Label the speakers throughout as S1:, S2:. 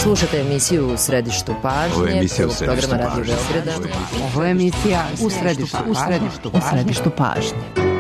S1: Slušate emisiju U središtu pažnje, prvog programa Radio Beograda.
S2: Ovo je emisija U središtu pažnje.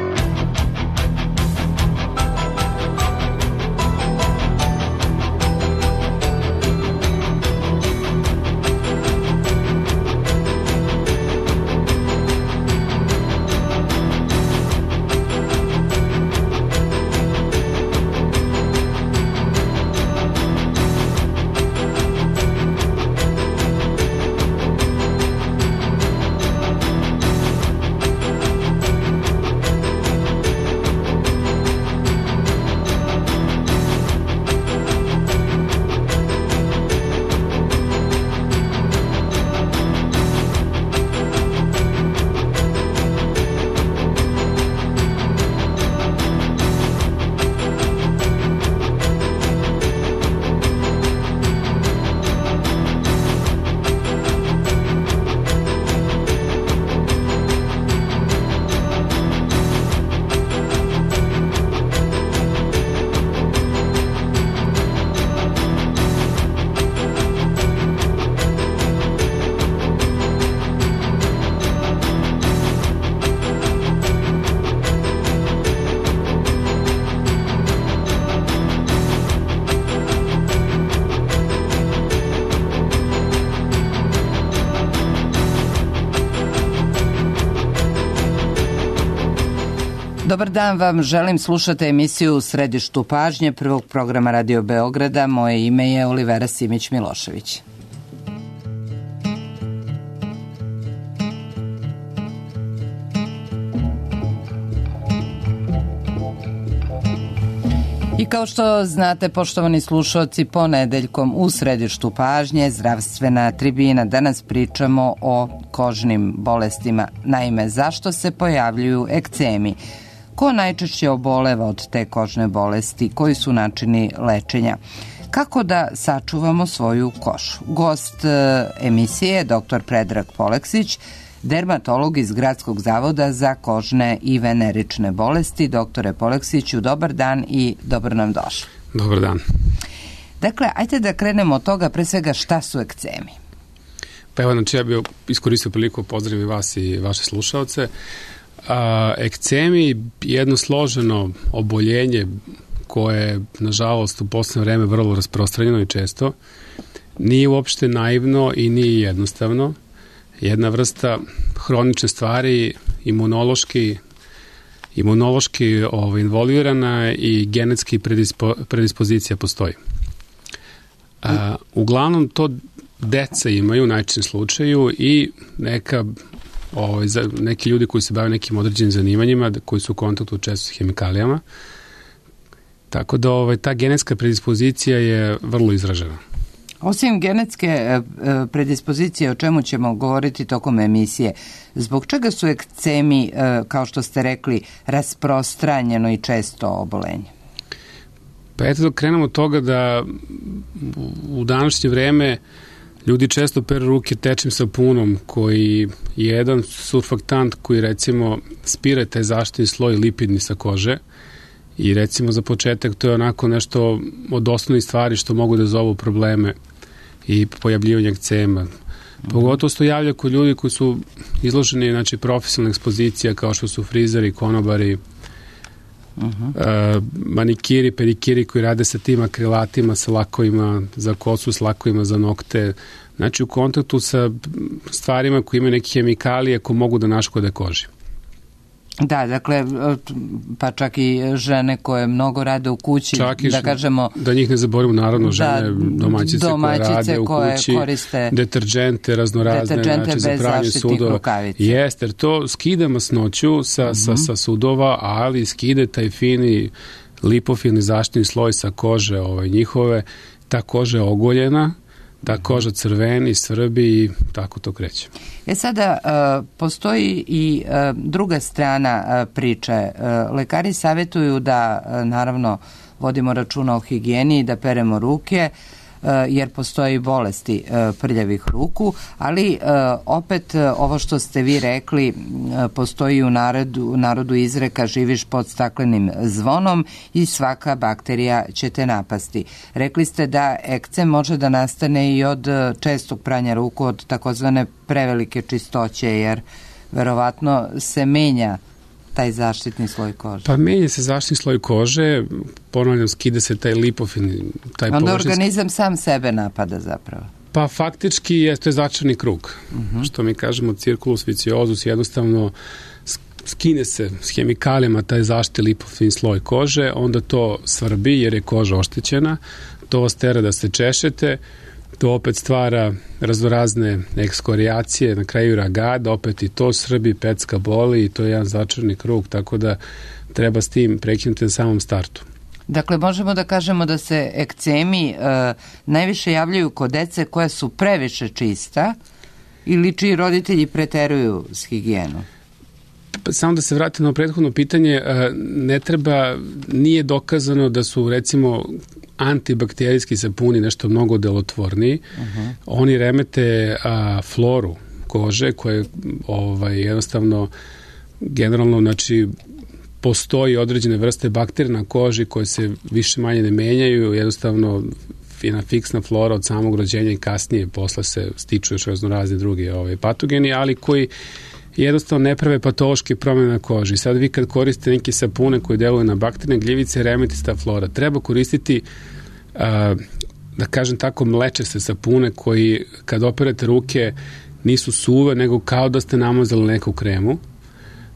S2: Dobar dan vam, želim, slušate emisiju U središtu pažnje prvog programa Radio Beograda. Moje ime je Olivera Simić-Milošević. I kao što znate, poštovani slušalci, ponedeljkom u središtu pažnje zdravstvena tribina. Danas pričamo o kožnim bolestima. Naime, zašto se pojavljuju ekcemi? Ko najčešće oboleva od te kožne bolesti? Koji su načini lečenja? Kako da sačuvamo svoju kožu? Gost emisije je dr. Predrag Poleksić, dermatolog iz Gradskog zavoda za kožne i venerične bolesti. Doktore Poleksiću, dobar dan i dobro nam došli.
S3: Dobar dan.
S2: Dakle, ajte da krenemo od toga, pre svega šta su ekcemi?
S3: Pa evo, znači ja bih iskoristio priliku pozdravim vas i vaše slušalce. Ekcemi je jedno složeno oboljenje koje je, nažalost, u poslednje vreme vrlo rasprostranjeno i često. Nije uopšte naivno i nije jednostavno. Jedna vrsta hronične stvari, imunološki involvirana i genetski predispozicija postoji. Uglavnom to deca imaju u najčešćem slučaju i neki ljudi koji se bave nekim određenim zanimanjima, koji su u kontaktu često s hemikalijama. Tako da ta genetska predispozicija je vrlo izražena.
S2: Osim genetske predispozicije, o čemu ćemo govoriti tokom emisije, zbog čega su ekcemi, kao što ste rekli, rasprostranjeno i često obolenje?
S3: Pa eto da krenemo od toga da u današnje vreme ljudi često peru ruke tečnim sapunom koji je jedan surfaktant koji recimo spira taj zaštitni sloj lipidni sa kože i recimo za početak to je onako nešto od osnovnih stvari što mogu da zovu probleme i pojavljivanje ekcema. Pogotovo se to javlja kod ljudi koji su izloženi, znači, profesionalna ekspozicija kao što su frizeri, konobari, manikiri, pedikiri koji rade sa tim akrilatima, sa lakovima za kosu, s lakovima za nokte, znači u kontaktu sa stvarima koji imaju neke hemikalije koje mogu da naškode koži.
S2: Da, dakle, pa čak i žene koje mnogo rade u kući, da kažemo...
S3: Da njih ne zaboravimo, naravno, žene, domaćice koje rade u kući, deterđente raznorazne, znači za pranje sudova. Jeste, jer to skida masnoću sa sudova, ali skide taj fini lipofilni zaštitni sloj sa kože njihove, ta koža je ogoljena, ta koža crveni, srbi i tako to kreće.
S2: Sada, postoji i druga strana priče. Lekari savjetuju da, naravno, vodimo računa o higijeni i da peremo ruke, jer postoji bolesti prljavih ruku, ali opet ovo što ste vi rekli, postoji u narodu izreka živiš pod staklenim zvonom i svaka bakterija će te napasti. Rekli ste da ekcem može da nastane i od čestog pranja ruku, od takozvane prevelike čistoće, jer verovatno se menja taj zaštitni sloj kože.
S3: Pa menja se zaštitni sloj kože, ponavljam, skida se taj lipofin, taj
S2: onda organizam sam sebe napada zapravo.
S3: Pa faktički to je začarni krug. Što mi kažemo circulus viciosus, jednostavno skine se s hemikalijama taj zaštitni lipofin sloj kože, onda to svrbi jer je koža oštećena, to vas tera da se češete, to opet stvara raznorazne ekskorijacije, na kraju ragada, opet i to srbi, pecka boli i to je jedan začarni krug, tako da treba s tim prekinuti na samom startu.
S2: Dakle, možemo da kažemo da se ekcemi najviše javljaju kod dece koja su previše čista ili čiji roditelji preteruju s higijenom?
S3: Samo da se vratim na prethodno pitanje, nije dokazano da su recimo antibakterijski sapuni nešto mnogo delotvorniji. Oni remete floru kože koje jednostavno generalno, znači, postoji određene vrste bakterija na koži koje se više manje ne menjaju, jednostavno jedna fiksna flora od samog rođenja i kasnije posle se stiču još raznorazni drugi patogeni, ali koji jednostavno ne prave patološke promjene na koži. Sad vi kad koristite neke sapune koji deluju na bakterne gljivice, remeti se ta flora. Treba koristiti, da kažem tako, mlečaste sapune koji kad operete ruke nisu suve, nego kao da ste namazali neku kremu.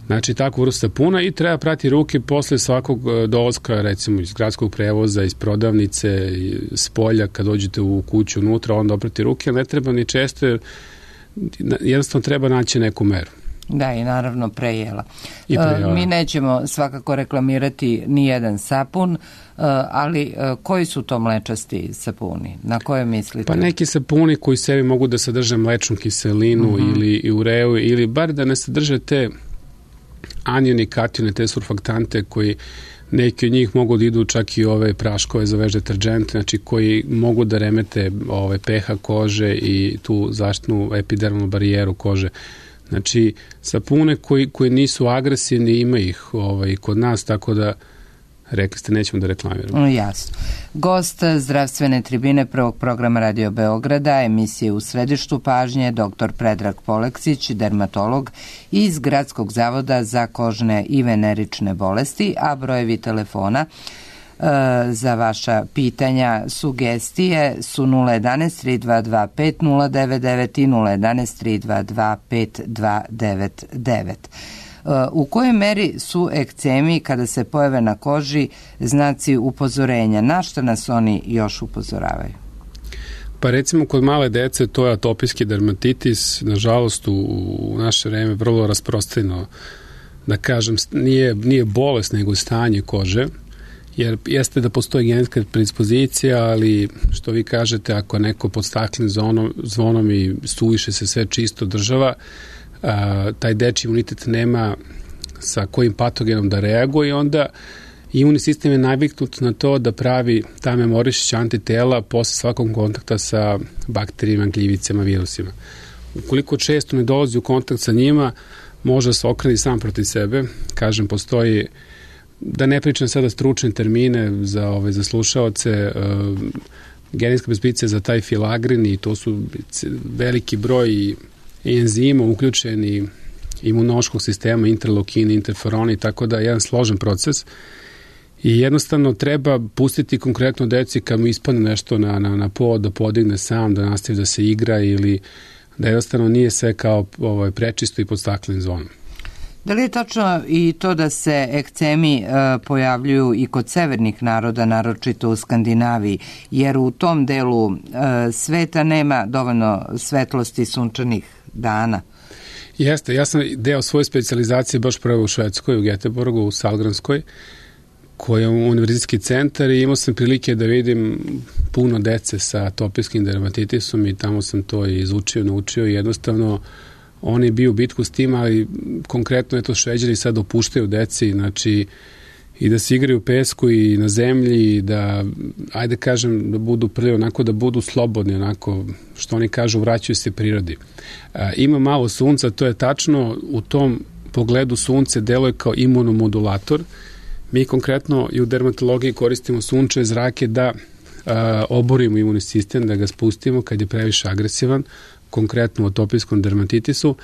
S3: Znači, takvu vrstu sapuna i treba prati ruke posle svakog dolaska, recimo iz gradskog prevoza, iz prodavnice, s polja, kad dođete u kuću unutra, onda oprati ruke, ne treba ni često, jer jednostavno treba naći neku meru.
S2: Da, i naravno prejela. Mi nećemo svakako reklamirati ni jedan sapun, ali koji su to mlečasti sapuni? Na koje mislite?
S3: Pa neki sapuni koji sebi mogu da sadrže mlečnu kiselinu ili ureu, ili bar da ne sadrže te anione i katione, te surfaktante koji neki od njih mogu da idu čak i ove praškove za veš deterdžente, znači koji mogu da remete pH kože i tu zaštitnu epidermalnu barijeru kože. Znači, sapune koji nisu agresivni, ima ih kod nas, tako da rekli ste, nećemo da reklamiramo.
S2: Jasno. Gost zdravstvene tribine prvog programa Radio Beograda, emisije U središtu pažnje, dr. Predrag Poleksić, dermatolog iz Gradskog zavoda za kožne i venerične bolesti, a brojevi telefona za vaša pitanja, sugestije su 011 322 5099 i 011 322 5299. U kojoj meri su ekcemi kada se pojave na koži znaci upozorenja? Na što nas oni još upozoravaju?
S3: Pa recimo kod male dece to je atopijski dermatitis, nažalost u naše vreme vrlo rasprostranjeno, da kažem, nije bolest nego stanje kože, jer jeste da postoji genetska predispozicija, ali što vi kažete, ako neko pod staklenim zvonom i suviše se sve čisto država, taj dečji imunitet nema sa kojim patogenom da reaguje i onda imunni sistem je naviknut na to da pravi ta memorišća antitela posle svakog kontakta sa bakterijama, gljivicama, virusima. Ukoliko često ne dolazi u kontakt sa njima, može se okreni sam protiv sebe. Kažem, postoji, da ne pričam sada stručne termine za slušaoce, genetska predispozicija za taj filagrin i to su veliki broj enzima uključeni imunološkog sistema, interleukini, interferoni, tako da je jedan složen proces i jednostavno treba pustiti konkretno deci kad mu ispadne nešto na pod, da podigne sam, da nastavi da se igra ili da jednostavno nije sve kao prečisto i pod staklenim zvonom.
S2: Da li je tačno i to da se ekcemi pojavljuju i kod severnih naroda, naročito u Skandinaviji, jer u tom delu sveta nema dovoljno svetlosti sunčanih dana?
S3: Jeste, ja sam deo svoje specijalizacije baš prvo u Švedskoj, u Göteborgu, u Salgranskoj, koji je univerzitetski centar i imao sam prilike da vidim puno dece sa atopijskim dermatitisom i tamo sam to izučio, naučio i jednostavno oni biju bitku s tim, ali konkretno Šveđani sad opuštaju deci, znači i da se igraju u pesku i na zemlji i da, ajde kažem, da budu prije onako, da budu slobodni, onako, što oni kažu, vraćaju se prirodi. Ima malo sunca, to je tačno, u tom pogledu sunce deluje kao imunomodulator. Mi konkretno i u dermatologiji koristimo sunčeve zrake da oborimo imunni sistem, da ga spustimo kad je previše agresivan, konkretno u atopijskom dermatitisu.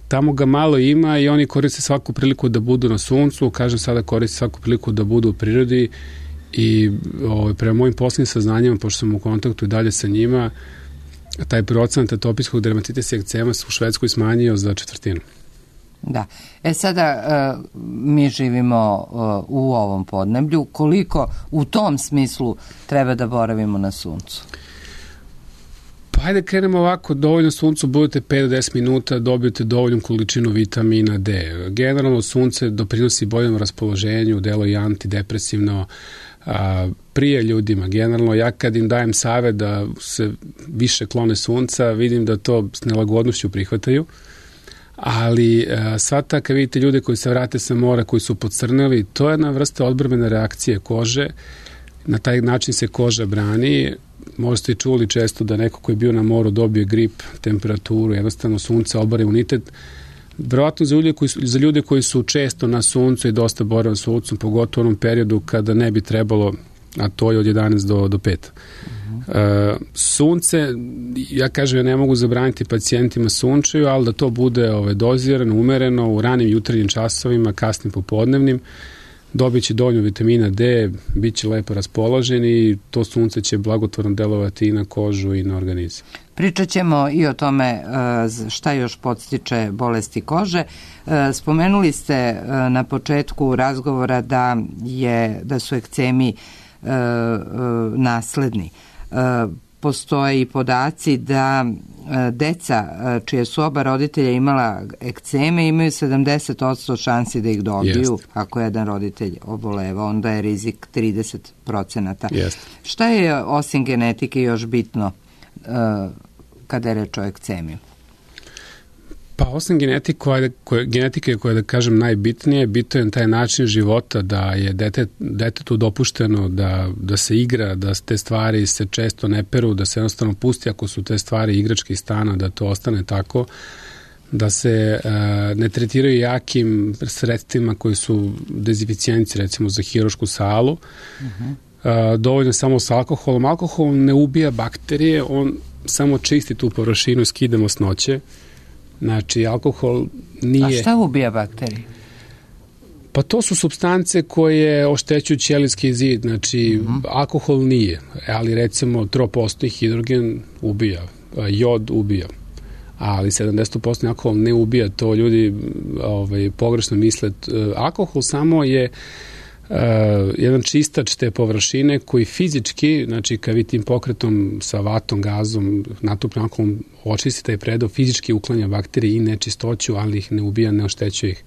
S3: Tamo ga malo ima i oni koriste svaku priliku da budu na suncu, kažem sada koriste svaku priliku da budu u prirodi i prema mojim poslednjim saznanjima, pošto sam u kontaktu i dalje sa njima, taj procenat atopijskog dermatitisa i ekcema se u Švedskoj smanjio za 1/4.
S2: Da. Sada mi živimo u ovom podneblju. Koliko u tom smislu treba da boravimo na suncu?
S3: Pa hajde krenemo ovako, dovoljno suncu, budete 5 do 10 minuta, dobijete dovoljnu količinu vitamina D. Generalno sunce doprinosi boljem raspoloženju, delo i antidepresivno, prije ljudima. Generalno ja kad im dajem savjet da se više klone sunca, vidim da to s nelagodnošću prihvataju. Ali sva ta, kad vidite ljude koji se vrate sa mora, koji su pocrneli, to je jedna vrsta odbrambene reakcije kože. Na taj način se koža brani. Možda ste i čuli često da neko koji je bio na moru dobije grip, temperaturu, jednostavno sunce obara imunitet. Verovatno za ljude koji su često na suncu i dosta borave s suncem, pogotovo u onom periodu kada ne bi trebalo, a to je od 11 do 5. Sunce, ja kažem, ja ne mogu zabraniti pacijentima sunčaju, ali da to bude dozirano, umereno, u ranim jutarnjim časovima, kasnim popodnevnim, dobit će dovoljno vitamina D, bit će lepo raspoložen i to sunce će blagotvorno delovati i na kožu i na organizam.
S2: Pričat ćemo i o tome šta još podstiče bolesti kože. Spomenuli ste na početku razgovora da su ekcemi nasledni. Postoje i podaci da deca čije su oba roditelja imala ekceme imaju 70% šansi da ih dobiju. Ako jedan roditelj oboleva, onda je rizik 30%. Šta je osim genetike još bitno kada je reč o ekcemiju?
S3: Pa osim genetike koja je, da kažem, najbitnije, bitan je taj način života, da je detetu dopušteno da se igra, da te stvari se često ne peru, da se jednostavno pusti ako su te stvari igračke iz stana, da to ostane tako, da se ne tretiraju jakim sredstvima koji su dezinficijenci, recimo za hirušku salu. Dovoljno samo sa alkoholom. Alkohol ne ubija bakterije, on samo čisti tu površinu, skida masnoće. Znači, alkohol nije...
S2: A šta ubija bakterije?
S3: Pa to su supstance koje oštećuju ćelijski zid, znači alkohol nije, ali recimo tropostni hidrogen ubija, jod ubija, ali 70% alkohol ne ubija, to ljudi pogrešno misle. Alkohol samo je jedan čistač te površine koji fizički, znači kad vi tim pokretom sa vatom, gazom, natopnim alkoholom očisti taj predao, fizički uklanja bakterije i nečistoću, ali ih ne ubija, ne oštećuje ih.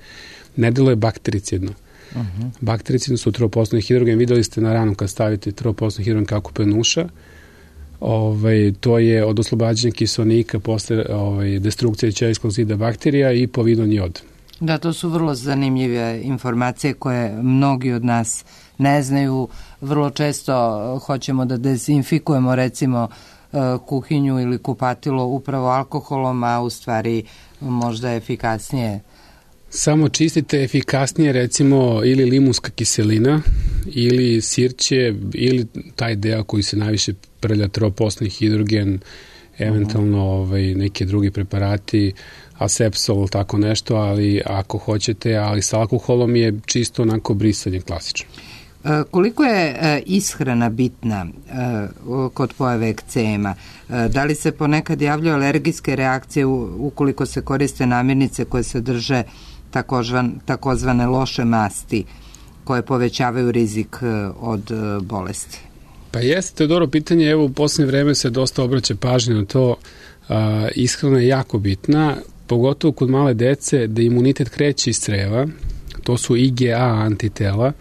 S3: Ne deluje baktericidno. Baktericidno su tropostni hidrogen, videli ste na ranu kad stavite tropostni hidrogen kako penuša, to je od oslobađanja kiselnika posle destrukcije ćelijskog zida bakterija i povidan jod.
S2: Da, to su vrlo zanimljive informacije koje mnogi od nas ne znaju. Vrlo često hoćemo da dezinfikujemo recimo kuhinju ili kupatilo upravo alkoholom, a u stvari možda je efikasnije.
S3: Samo čistite efikasnije recimo ili limunska kiselina ili sirće ili taj deo koji se najviše prlja, tropostni hidrogen, eventualno neki drugi preparati, asepsol, tako nešto, ali ako hoćete, ali sa alkoholom je čisto onako brisanje klasično.
S2: Koliko je ishrana bitna kod pojave ekcema? Da li se ponekad javljaju alergijske reakcije ukoliko se koriste namirnice koje sadrže takozvane loše masti koje povećavaju rizik od bolesti?
S3: Pa jeste, dobro pitanje. Evo, u poslednje vreme se dosta obraća pažnje na to. Ishrana je jako bitna, pogotovo kod male dece, da imunitet kreće iz creva. To su IgA antitela.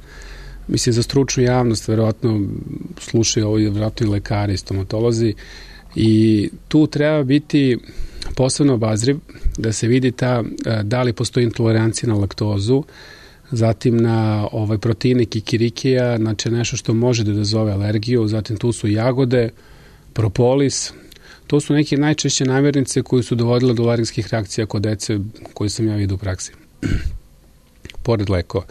S3: Mislim, za stručnu javnost verovatno slušaju ovo verovatno i lekari, stomatolozi. I tu treba biti posebno obazriv da se vidi da li postoji intolerancija na laktozu, zatim na proteine kikirikija, znači nešto što može da izazove alergiju, zatim tu su jagode, propolis. To su neke najčešće namirnice koje su dovodile do alergijskih reakcija kod dece koje sam ja vidio u praksi. Pored lekova.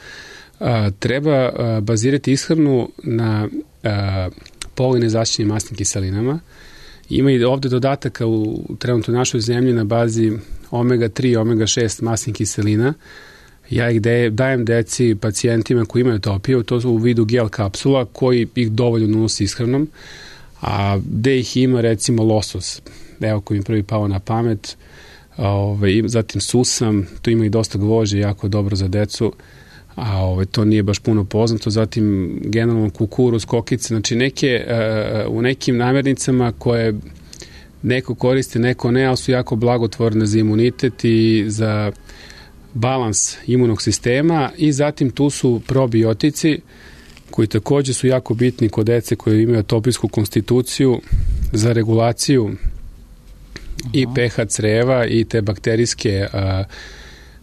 S3: Treba bazirati ishranu na polinezaštićenim masnim kiselinama. Ima i ovde dodataka u trenutno našoj zemlji na bazi omega-3 i omega-6 masnih kiselina. Ja ih dajem deci, pacijentima koji imaju atopiju, to su u vidu gel kapsula koji ih dovoljno nosi ishranom, a gde ih ima recimo losos, evo koji mi prvi pao na pamet, zatim susam, to ima i dosta gvožđe, jako dobro za decu, a to nije baš puno poznato, zatim generalno kukuruz, kokice, znači u nekim namirnicama koje neko koristi, neko ne, ali su jako blagotvorne za imunitet i za balans imunog sistema i zatim tu su probiotici koji takođe su jako bitni kod dece koji imaju atopijsku konstituciju za regulaciju i pH creva i te bakterijske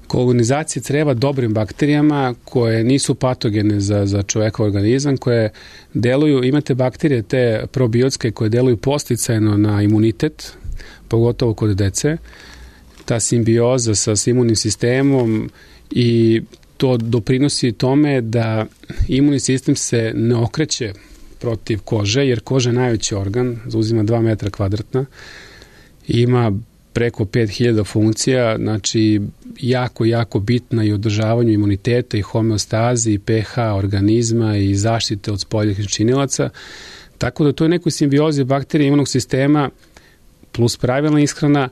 S3: kolonizacije creva dobrim bakterijama koje nisu patogene za čovekov organizam, koje deluju, imate bakterije te probiotske koje deluju podsticajno na imunitet, pogotovo kod dece, ta simbioza sa imunnim sistemom i to doprinosi tome da imunni sistem se ne okreće protiv kože, jer koža je najveći organ, zauzima 2 metra kvadratna, ima preko 5000 funkcija, znači jako bitna i održavanju imuniteta i homeostazi i pH organizma i zaštite od spoljnih činilaca, tako da to je nekoj simbiozi bakterije imunog sistema plus pravilna ishrana,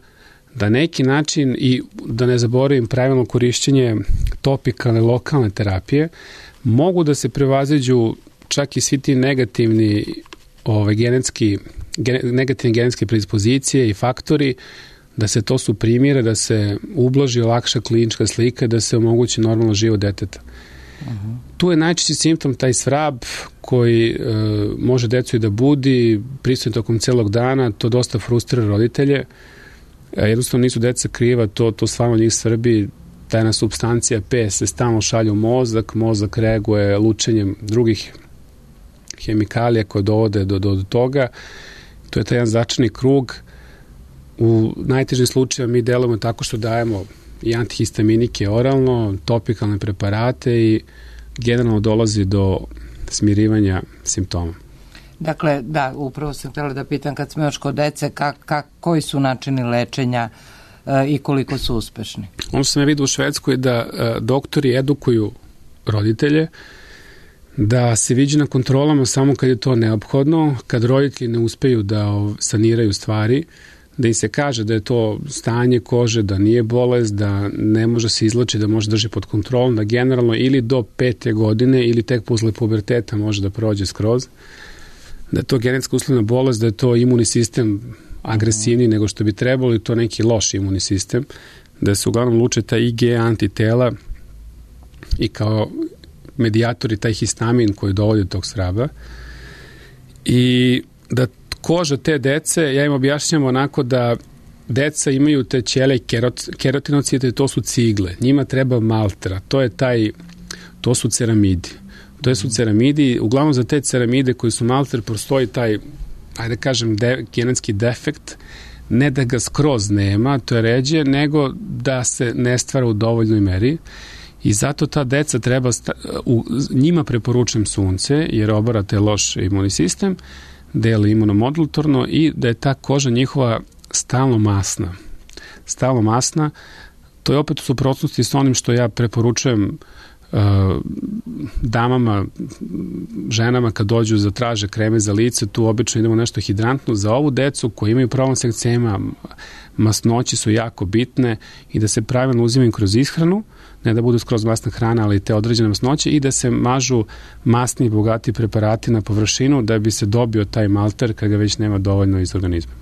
S3: da neki način i da ne zaboravim pravilno korišćenje topikalne lokalne terapije, mogu da se prevaziđu čak i svi ti negativne genetske predispozicije i faktori, da se to suprimira, da se ublaži, olakša klinička slika, da se omogući normalno život deteta. Tu je najčešći simptom taj svrab koji može decu i da budi, prisutan tokom celog dana, to dosta frustrira roditelje. Jednostavno nisu deca kriva, to stvarno njih svrbi, tajna supstancija P se stalno šalje u mozak reaguje lučenjem drugih hemikalija koje dovode do toga. To je taj jedan začarani krug. U najtežim slučajima mi delujemo tako što dajemo i antihistaminike oralno, topikalne preparate i generalno dolazi do smirivanja simptoma.
S2: Dakle, da, upravo sam htjela da pitam kad smo još kod dece, koji su načini lečenja i koliko su uspešni?
S3: Ono što sam ja vidio u Švedskoj da doktori edukuju roditelje da se viđe na kontrolama samo kad je to neophodno, kad roditelji ne uspeju da saniraju stvari, da im se kaže da je to stanje kože, da nije bolest, da ne može se izlači, da može drži pod kontrolom, da generalno ili do 5. godine ili tek posle puberteta može da prođe skroz, da je to genetska uslovna bolest, da je to imunni sistem agresivniji nego što bi trebalo i to neki loš imunni sistem, da se uglavnom luče ta IgE antitela i kao medijatori taj histamin koji dovodi do tog svraba i da koža te dece, ja im objašnjam onako da deca imaju te ćelije kerotinocite, to su cigle, njima treba maltra, to su ceramidi. To su ceramidi, uglavnom za te ceramide koji su malter postoji taj, ajde kažem, genetski defekt, ne da ga skroz nema, to je ređe, nego da se ne stvara u dovoljnoj meri i zato ta deca treba, njima preporučujem sunce, jer obara te loš imunni sistem, deli imunomodulatorno i da je ta koža njihova stalno masna. To je opet u suprotnosti s onim što ja preporučujem damama, ženama kad dođu za traže kreme za lice, tu obično idemo nešto hidrantno. Za ovu decu koji imaju problem s ekcema, masnoće su jako bitne i da se pravilno uzimaju kroz ishranu, ne da budu skroz masna hrana, ali te određene masnoće i da se mažu masni i bogati preparati na površinu da bi se dobio taj malter kad ga već nema dovoljno iz organizma.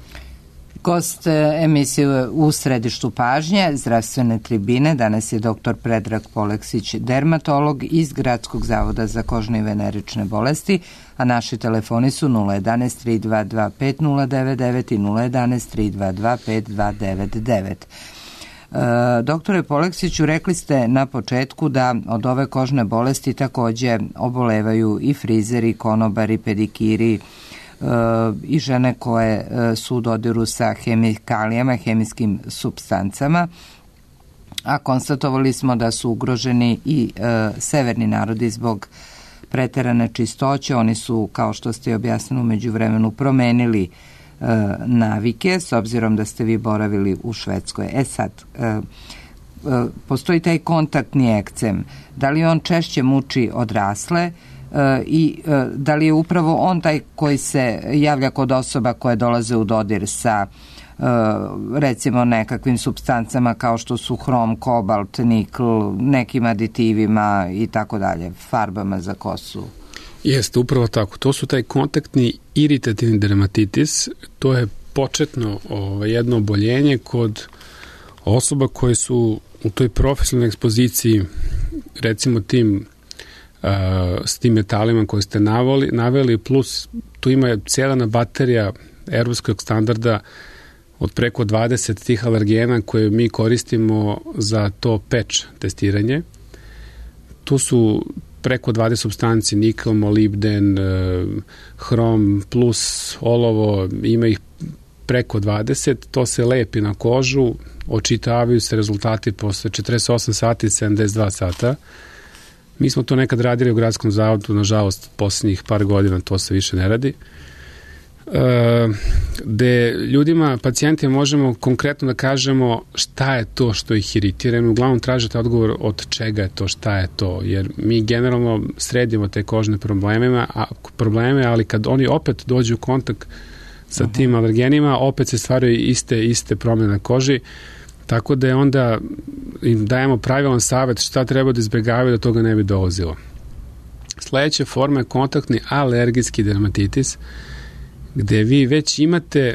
S2: Gost emisije U središtu pažnje, zdravstvene tribine, danas je dr. Predrag Poleksić, dermatolog iz Gradskog zavoda za kožne i venerične bolesti, a naši telefoni su 011 322 5099 i 011 322 5299. Doktore Poleksiću, rekli ste na početku da od ove kožne bolesti takođe obolevaju i frizeri, konobari, pedikiri i žene koje su u dodiru sa hemikalijama, hemijskim supstancama, a konstatovali smo da su ugroženi i severni narodi zbog preterane čistoće. Oni su, kao što ste objasnili, u međuvremenu promenili navike, s obzirom da ste vi boravili u Švedskoj. Sad, postoji taj kontaktni ekcem. Da li on češće muči odrasle i da li je upravo on taj koji se javlja kod osoba koje dolaze u dodir sa recimo nekakvim supstancama kao što su hrom, kobalt, nikl, nekim aditivima i tako dalje, farbama za kosu?
S3: Jeste, upravo tako. To su taj kontaktni iritativni dermatitis. To je početno jedno oboljenje kod osoba koje su u toj profesionalnoj ekspoziciji, recimo s tim metalima koje ste naveli, plus tu ima cijela baterija evropskog standarda od preko 20 tih alergena koje mi koristimo za to patch testiranje. Tu su preko 20 supstanci, nikl, molibden, hrom plus olovo, ima ih preko 20, to se lepi na kožu, očitavaju se rezultati posle 48 sati i 72 sata. Mi smo to nekad radili u gradskom zavodu, nažalost, poslednjih par godina to se više ne radi. Gde ljudima, pacijentima možemo konkretno da kažemo šta je to što ih iritira. Uglavnom tražite odgovor od čega je to, šta je to, jer mi generalno sredimo te kožne probleme, ali kad oni opet dođu u kontakt sa tim alergenima, opet se stvaraju iste promjene na koži, tako da je onda im dajemo pravilan savjet šta treba da izbjegavaju da toga ne bi dolazilo. Sledeća forma je kontaktni alergijski dermatitis, gde vi već imate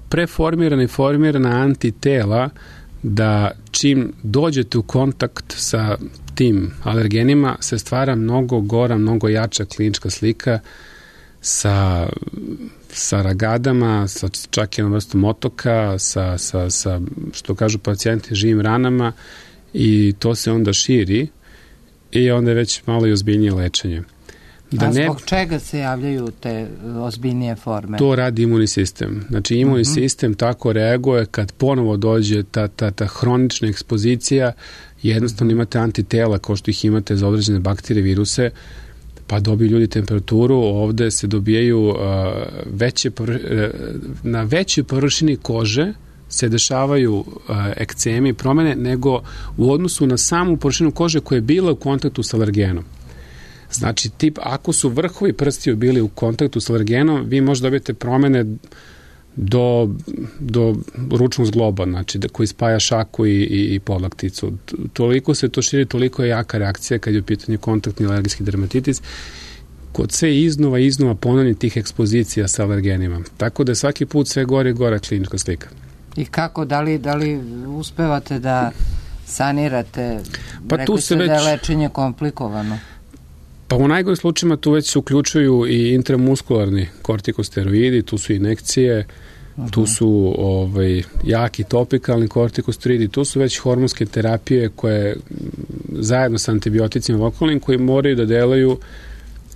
S3: preformirana i formirana antitela da čim dođete u kontakt sa tim alergenima se stvara mnogo gora, mnogo jača klinička slika sa ragadama, sa čak jednom vrstom otoka, sa što kažu pacijenti, živim ranama, i to se onda širi i onda je već malo i ozbiljnije lečenje.
S2: Zbog čega se javljaju te ozbiljnije forme?
S3: To radi imunni sistem. Znači, imunni sistem tako reaguje kad ponovo dođe ta hronična ekspozicija, jednostavno imate antitela kao što ih imate za određene bakterije, viruse, pa dobiju ljudi temperaturu, ovde se dobijaju na većoj površini kože se dešavaju ekcemi i promene nego u odnosu na samu površinu kože koja je bila u kontaktu sa alergenom. Znači, ako su vrhovi prstiju bili u kontaktu s alergenom, vi možete dobiti promene do ručnog zgloba, znači koji spaja šaku i podlakticu. Toliko se to širi, toliko je jaka reakcija kad je u pitanju kontaktni alergijski dermatitis, kod sve iznova ponavljanja tih ekspozicija sa alergenima. Tako da je svaki put sve gore i gora klinička slika.
S2: I kako, da li uspevate da sanirate?
S3: Pa
S2: rekli ste da je lečenje komplikovano.
S3: Pa u najgorih slučajima tu već se uključuju i intramuskularni kortikosteroidi, tu su injekcije, tu su jaki topikalni kortikosteroidi, tu su već hormonske terapije koje zajedno sa antibioticima lokalnim koji moraju da delaju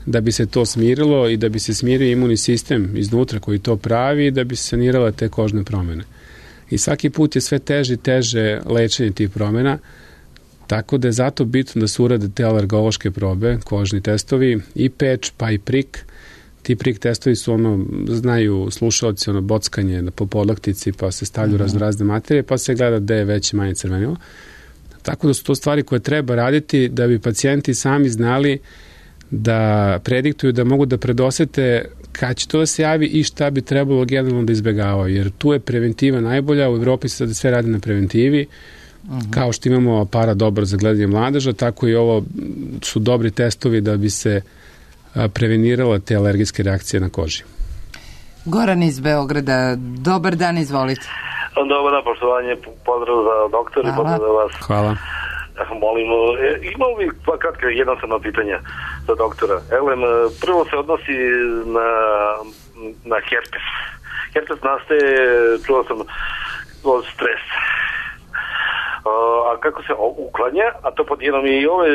S3: da bi se to smirilo i da bi se smirio imunni sistem iznutra koji to pravi i da bi se sanirale te kožne promene. I svaki put je sve teže i teže lečenje tih promena, tako da je zato bitno da se urade te alergološke probe, kožni testovi, i patch, pa i prik. Ti prik testovi su znaju slušalci, bockanje po podlaktici, pa se stavljaju razne materije, pa se gleda gde je veće, manje crvenilo. Tako da su to stvari koje treba raditi da bi pacijenti sami znali da prediktuju, da mogu da predosete kad će to da se javi i šta bi trebalo generalno da izbjegavaju, jer tu je preventiva najbolja, u Evropi se sada sve radi na preventivi, kao što imamo aparat dobar za gledanje mladeža, tako i ovo su dobri testovi da bi se prevenirala te alergijske reakcije na koži.
S2: Goran iz Beograda, dobar dan, izvolite.
S4: Dobar dan, poštovanje, pozdrav za doktor i pozdrav za vas.
S3: Hvala.
S4: Molim, imao bih kratka jednostavna pitanja za doktora. Prvo se odnosi na herpes. Herpes nastaje, čuo sam, od stresa. a kako se uklanja, a to pod jednom i ove,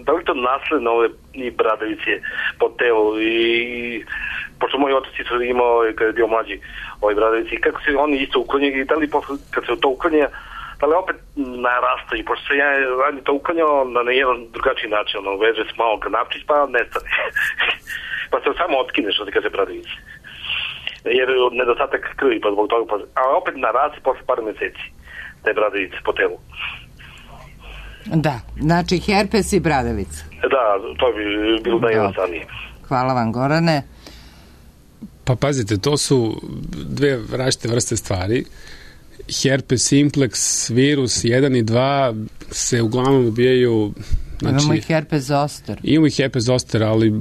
S4: da li to nasledno ove i bradavice po telu i pošto moji otaci su imao kada je bio mlađi ove bradavice i kako se oni isto uklanjaju i da li kad se to uklanja da li opet narastaju, pošto se ja ranije to uklanjao na jedan drugačiji način, veže se malo kanapčić pa nestane pa se samo otkine što se kaže bradavice jer nedostatak krvi pa zbog toga, a opet naraste posle par meseci te bradavice po telu.
S2: Da, znači herpes i bradavica.
S4: Da, to bi bilo najjednostavnije.
S2: Hvala vam, Gorane.
S3: Pa pazite, to su dve različite vrste stvari. Herpes simplex, virus 1 i 2 se uglavnom dobijaju... Znači,
S2: imamo i herpes zoster.
S3: Imamo i herpes zoster, ali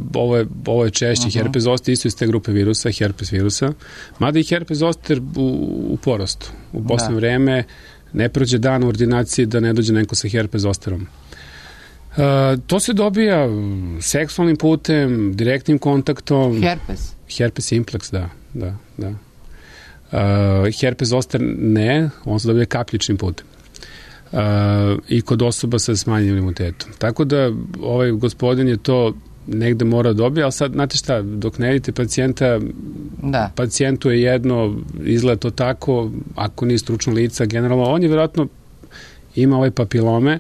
S3: ovo je češće. Herpes zoster isto iz te grupe virusa, herpes virusa. Mada i herpes zoster u porastu. U poslednje vreme ne prođe dan u ordinaciji da ne dođe neko sa herpes zosterom. To se dobija seksualnim putem, direktnim kontaktom.
S2: Herpes?
S3: Herpes simplex, da. Herpes zoster ne, on se dobija kapljičnim putem. I kod osoba sa smanjenim imunitetom. Tako da ovaj gospodin je to negde mora dobiti, ali sad, znate šta, dok ne vidite pacijenta, pacijentu je jedno, izgleda to tako, ako nije stručno lica, generalno, on je vjerojatno ima ove papilome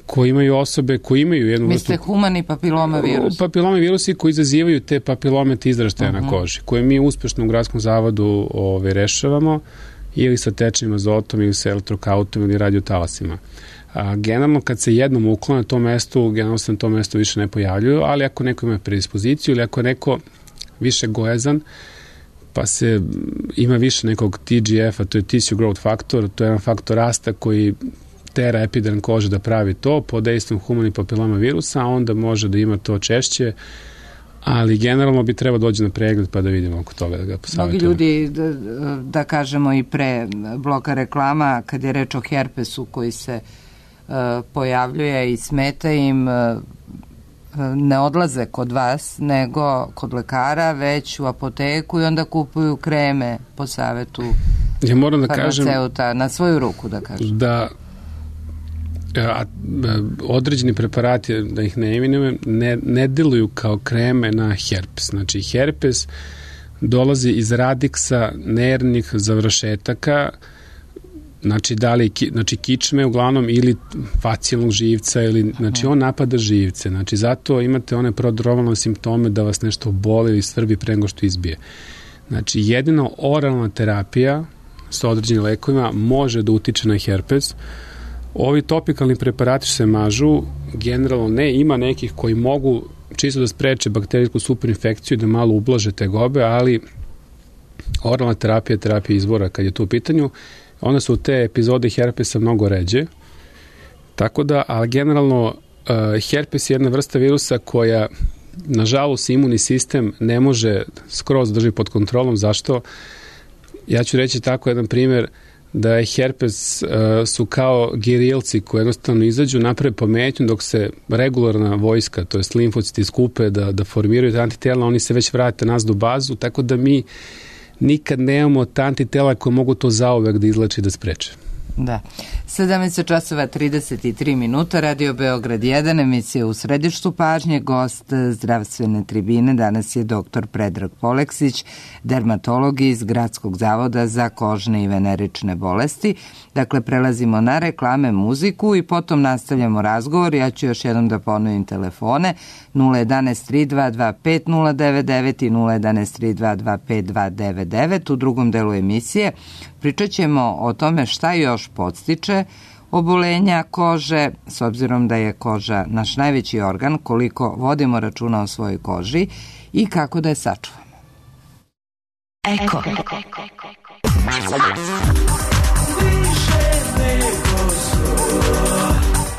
S3: koji imaju osobe koji imaju jednu...
S2: Mislite humani papiloma virus?
S3: Papilome virusi koji izazivaju te papilome izraštaja na koži, koje mi uspešno u Gradskom zavodu rešavamo ili sa tečnim azotom, ili sa elektrokautom, ili radiotalasima. Generalno, kad se jednom uklone to mesto, generalno se na to mesto više ne pojavljuju, ali ako neko ima predispoziciju ili ako neko više gojazan, pa se ima više nekog TGF-a, to je tissue growth factor, to je jedan faktor rasta koji tera epiderm kože da pravi to, pod dejstvom humanih papiloma virusa, onda može da ima to češće, ali generalno bi trebao doći na pregled pa da vidimo oko toga, da ga posavjetujemo.
S2: Mnogi ljudi, da kažemo i pre bloka reklama, kad je reč o herpesu koji se pojavljuje i smeta im, ne odlaze kod vas, nego kod lekara, već u apoteku i onda kupuju kreme po savetu farmaceuta, na svoju ruku, da kažem.
S3: Da određeni preparati, da ih ne imenujem, ne deluju kao kreme na herpes. Znači, herpes dolazi iz radiksa nervnih završetaka, znači kičme uglavnom ili facijalnog živca, znači on napada živce. Znači, zato imate one prodromalne simptome da vas nešto boli ili svrbi pre nego što izbije. Znači, jedino oralna terapija sa određenim lekovima može da utiče na herpes. Ovi topikalni preparati se mažu, generalno ne, ima nekih koji mogu čisto da spreče bakterijsku superinfekciju i da malo ublaže tegobe, ali oralna terapija je terapija izbora kad je to u pitanju. Onda su te epizode herpesa mnogo ređe. Tako da, ali generalno herpes je jedna vrsta virusa koja, nažalost, imunni sistem ne može skroz drži pod kontrolom. Zašto? Ja ću reći tako jedan primjer, da je herpes su kao gerilci koji jednostavno izađu, naprave pometnju dok se regularna vojska, to jest limfociti skupe da formiraju ta antitela, oni se već vrate nazad u bazu, tako da mi nikad nemamo ta antitela koje mogu to zauvek da izleče i da spreče.
S2: Da. 17:33, Radio Beograd 1, emisija U središtu pažnje, gost zdravstvene tribine danas je dr. Predrag Poleksić, dermatolog iz Gradskog zavoda za kožne i venerične bolesti. Dakle, prelazimo na reklame, muziku i potom nastavljamo razgovor. Ja ću još jednom da ponovim telefone 011-3225-099 i 011-3225-299. U drugom delu emisije pričat ćemo o tome šta još podstiče obolenja kože, s obzirom da je koža naš najveći organ, koliko vodimo računa o svojoj koži i kako da je sačuvamo.
S5: Eko.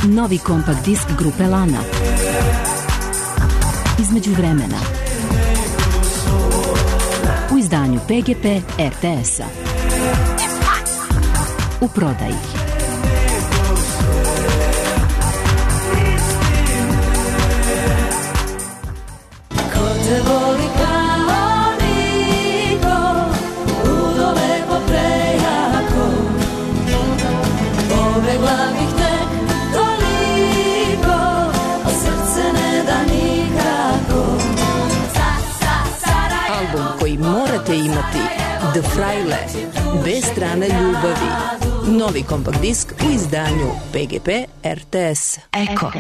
S5: Novi kompakt disk grupe Lana. Između vremena. U izdanju PGP RTS-a. U prodaji.
S6: Ko te voli kao niko, ludo lepo prejako,
S7: ćete imati The Fraile, B strane ljubavi. Novi kompakt disk u izdanju PGP RTS. Eko.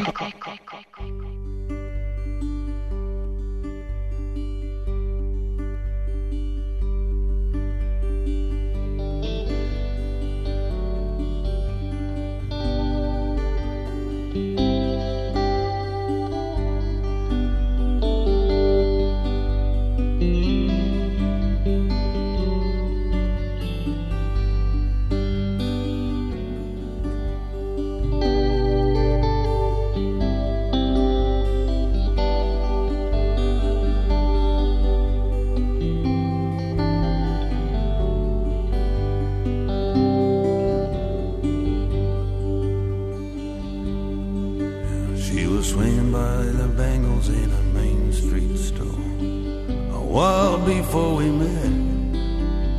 S8: Before we met,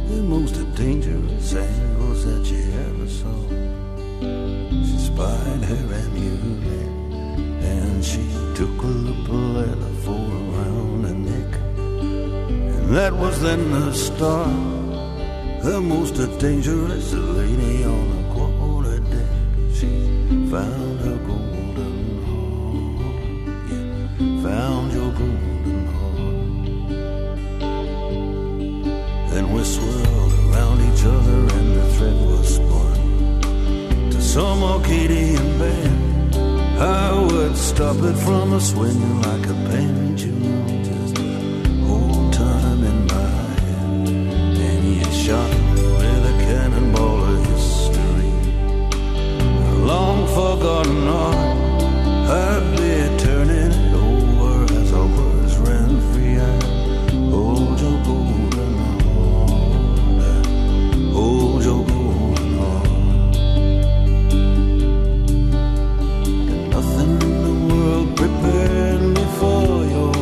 S8: the most dangerous angles that you ever saw. She spied her amulet, and she took a letter for around her neck. And that was then the start, the most dangerous lady on the quarter deck. She found her golden heart, yeah, found your golden heart. Then we swirled around each other and the thread was spun to some Arcadian band. I would stop it from a swinging like a pendulum, just old time in my head. And he shot with a cannonball of history, a long forgotten art. I'd be turning it over as our words ran free. I'd hold your golden hold your golden heart. And nothing in the world prepared me for your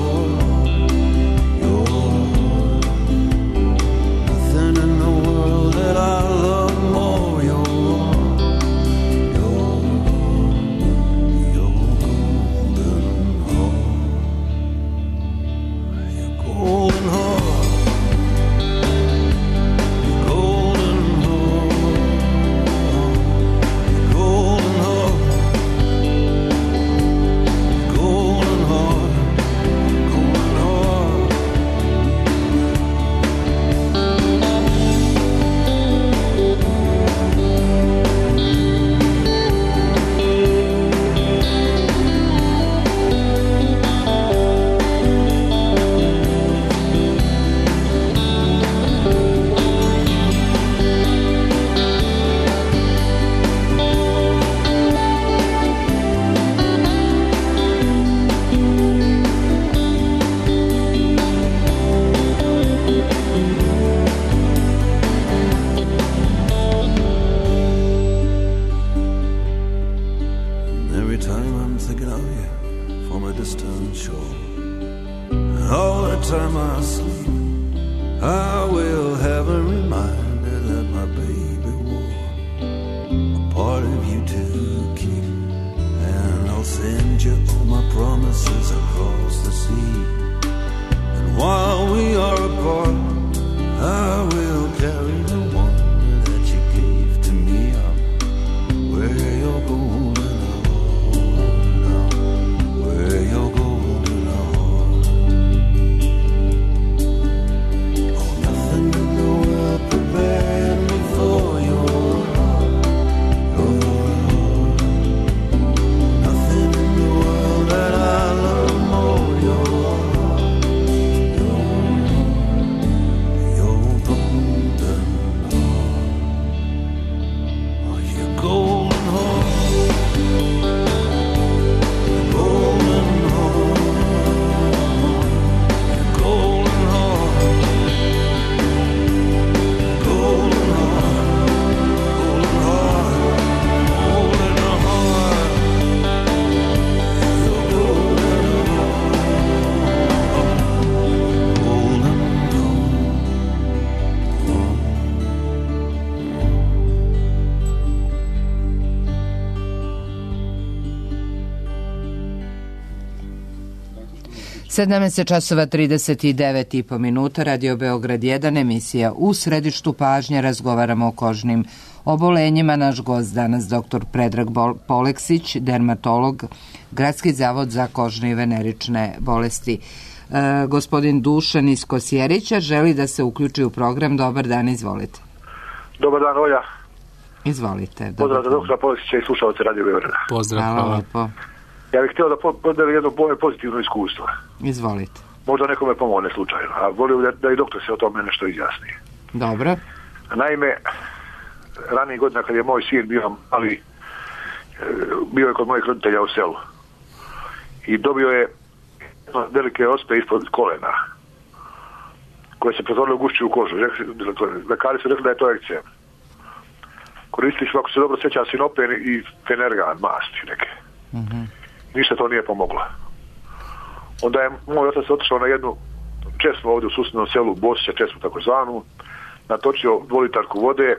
S8: nothing in the world that I love more. Your golden heart. Your golden heart.
S2: 17:39 Radio Beograd 1, emisija U središtu pažnje, razgovaramo o kožnim obolenjima. Naš gost danas dr. Predrag Poleksić, dermatolog, Gradski zavod za kožne i venerične bolesti. Gospodin Dušan iz Kosjerića želi da se uključi u program. Dobar dan, izvolite.
S9: Dobar dan, Olja.
S2: Izvolite.
S9: Pozdrav za doktora Poleksića i slušalce Radio Beograda.
S3: Pozdrav,
S2: hvala lepo.
S9: Ja bih htio da podelim jedno pozitivno iskustvo.
S2: Izvolite.
S9: Možda nekome pomogne slučajno, a volio da i doktor se o tome nešto izjasni.
S2: Dobro.
S9: Naime, ranije godina kad je moj sin bio je kod mojih roditelja u selu i dobio je velike ospe ispod kolena koje se pretvorile u gušću kožu. Lekari su rekli da je to ekcem. Koristili smo, ako se dobro sjećam, sinopen i fenergan, masti neke. Ništa to nije pomoglo. Onda je moj otac otišao na jednu česmu ovdje u susjednom selu, Bosića česmu takozvanu, natočio 2 litarku vode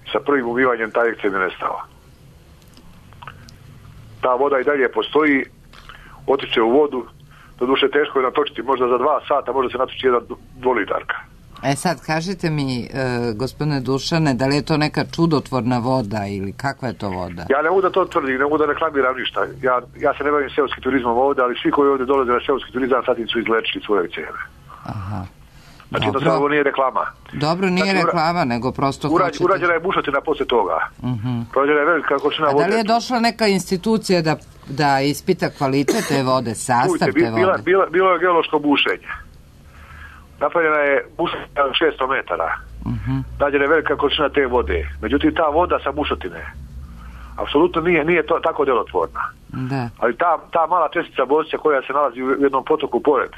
S9: i sa prvim umivanjem taj ekcem je nestao. Ta voda i dalje postoji, otiče u vodu, doduše teško je natočiti, možda za 2 sata može se natočiti jedna 2 litarka.
S2: Sad kažite mi, gospodine Dušane, da li je to neka čudotvorna voda ili kakva je to voda?
S9: Ja ne mogu da to tvrdim, ne mogu da reklamiram ništa. Ja se ne bavim seoskim turizmom ovdje, ali svi koji ovdje dolaze na seoski turizam sad su izlečili svoje ekceme.
S2: Aha.
S9: Znači to sad ovo nije reklama.
S2: Dobro, nije reklama, nego prosto hoćete...
S9: Urađena je bušotina poslije toga. Prođena je velika količina vode.
S2: A da li je došla neka institucija da ispita kvalitet te vode, sastav te vode?
S9: Bilo je geološko bušenje. Napravljena je bušotina 600 metara. Nađena je velika količina te vode. Međutim, ta voda sa bušotine apsolutno nije to tako delotvorna.
S2: Da.
S9: Ali ta mala čestica Bosića koja se nalazi u jednom potoku pored,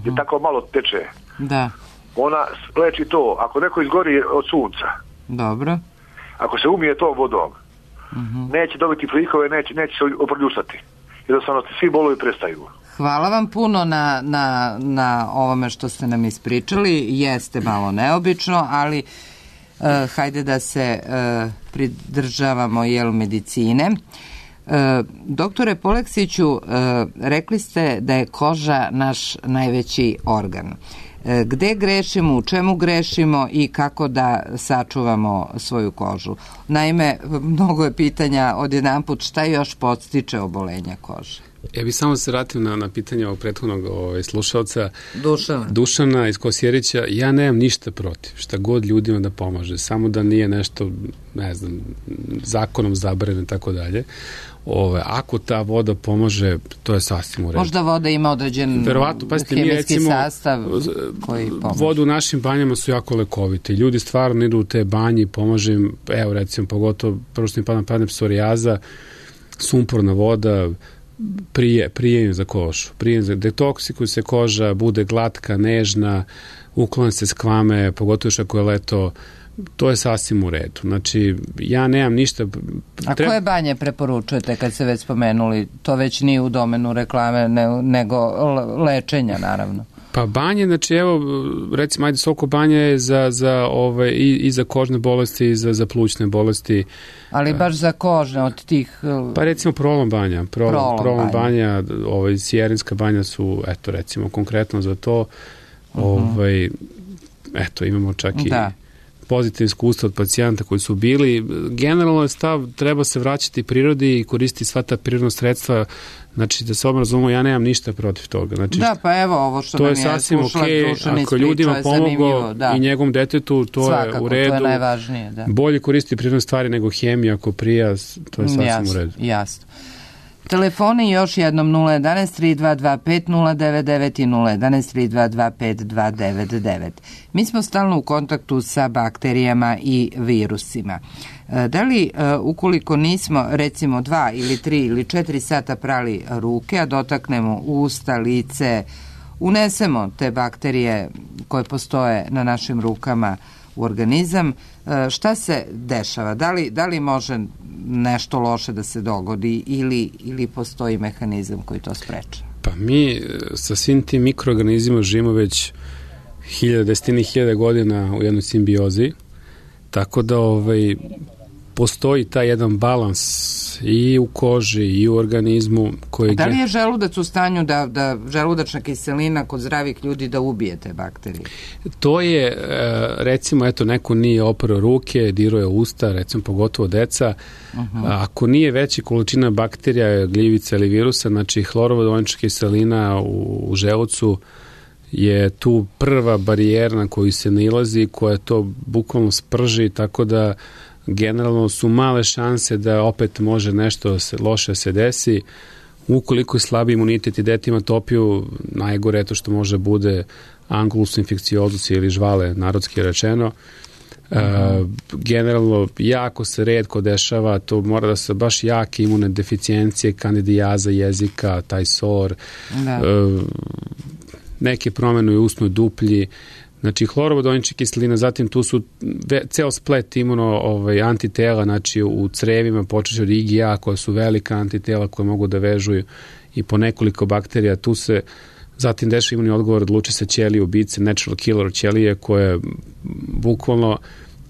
S9: je tako malo teče.
S2: Da.
S9: Ona leči to. Ako neko izgori od sunca,
S2: dobro,
S9: ako se umije tom vodom, neće dobiti plikove, neće se oprljusati. Jednostavno svi bolovi prestaju.
S2: Hvala vam puno na ovome što ste nam ispričali. Jeste malo neobično, ali hajde da se pridržavamo medicine. Doktore Poleksiću, rekli ste da je koža naš najveći organ. Gde grešimo, u čemu grešimo i kako da sačuvamo svoju kožu? Naime, mnogo je pitanja odjedanput, šta još podstiče obolenja kože?
S3: Ja bih samo se vratio na pitanje ovog prethodnog slušalca
S2: Dušana
S3: iz Kosjerića. Ja nemam ništa protiv, šta god ljudima da pomaže, samo da nije nešto, ne znam, zakonom zabranjeno i tako dalje. Ako ta voda pomože, to je sasvim u redu.
S2: Možda voda ima određen hemijski sastav koji pomože.
S3: Voda u našim banjama su jako lekovite. Ljudi stvarno idu u te banje i pomaže im, evo recimo, pogotovo prvo što im padne psorijaza, sumporna voda, prije za kožu. Detoksikuju se koža, bude glatka, nežna, uklone se skvame, pogotovo još ako je leto, to je sasvim u redu. Znači, ja nemam ništa...
S2: A koje banje preporučujete kad se već spomenuli? To već nije u domenu reklame, nego lečenja, naravno.
S3: Pa banje, znači evo, recimo, ajde Soko banja je i za kožne bolesti i za plućne bolesti.
S2: Ali baš za kožne od tih...
S3: Pa recimo Prolom banja. Prolom banja, Sjerinska banja su, eto recimo, konkretno za to. Eto, imamo čak i pozitivne iskustva od pacijenta koji su bili. Generalno je stav, treba se vraćati prirodi i koristiti sva ta prirodna sredstva. Znači, da se ovom razumemo, ja nemam ništa protiv toga. Znači,
S2: da, pa evo ovo što nam je
S3: sasvim okay. Ako ljudima pomoglo i njegovom detetu, to svakako, je u redu.
S2: To je najvažnije, da.
S3: Bolje koristiti prirodne stvari nego hemiju, ako prija, to je sasvim u redu.
S2: Jasno. Telefoni još jednom 011-3225-099 i 011-3225-299. Mi smo stalno u kontaktu sa bakterijama i virusima. Da li, ukoliko nismo, recimo 2 ili 3 ili 4 sata prali ruke, a dotaknemo usta, lice, unesemo te bakterije koje postoje na našim rukama u organizam, šta se dešava? Da li može nešto loše da se dogodi ili postoji mehanizam koji to spreča?
S3: Pa mi sa svim tim mikroorganizmima živimo već desetine hiljada godina u jednoj simbiozi, tako da postoji taj jedan balans i u koži i u organizmu koji...
S2: Da li je želudac u stanju da želudačna kiselina kod zdravih ljudi da ubije te bakterije?
S3: To je, recimo, eto, neko nije oprao ruke, dirao je usta, recimo, pogotovo deca. Ako nije veća količina bakterija, gljivica ili virusa, znači hlorovodonična kiselina u želucu je tu prva barijera na koju se nailazi, koja to bukvalno sprži, tako da generalno su male šanse da opet može nešto loše se desi. Ukoliko je slabi imunitet i dete ima topiju, najgore je to što može bude angulus infekciozus ili žvale, narodski rečeno. Generalno jako se retko dešava, to mora da se baš jake imune deficijencije, kandidijaza jezika, taj sor, neke promjene u usnoj duplji. Znači, hlorovodonična kiselina, zatim tu su ceo splet antitela, znači u crevima počeće od IgA, koja su velika antitela koje mogu da vežuju i po nekoliko bakterija. Tu se zatim dešava imunni odgovor, odluči se ćelije ubice, natural killer ćelije, koje bukvalno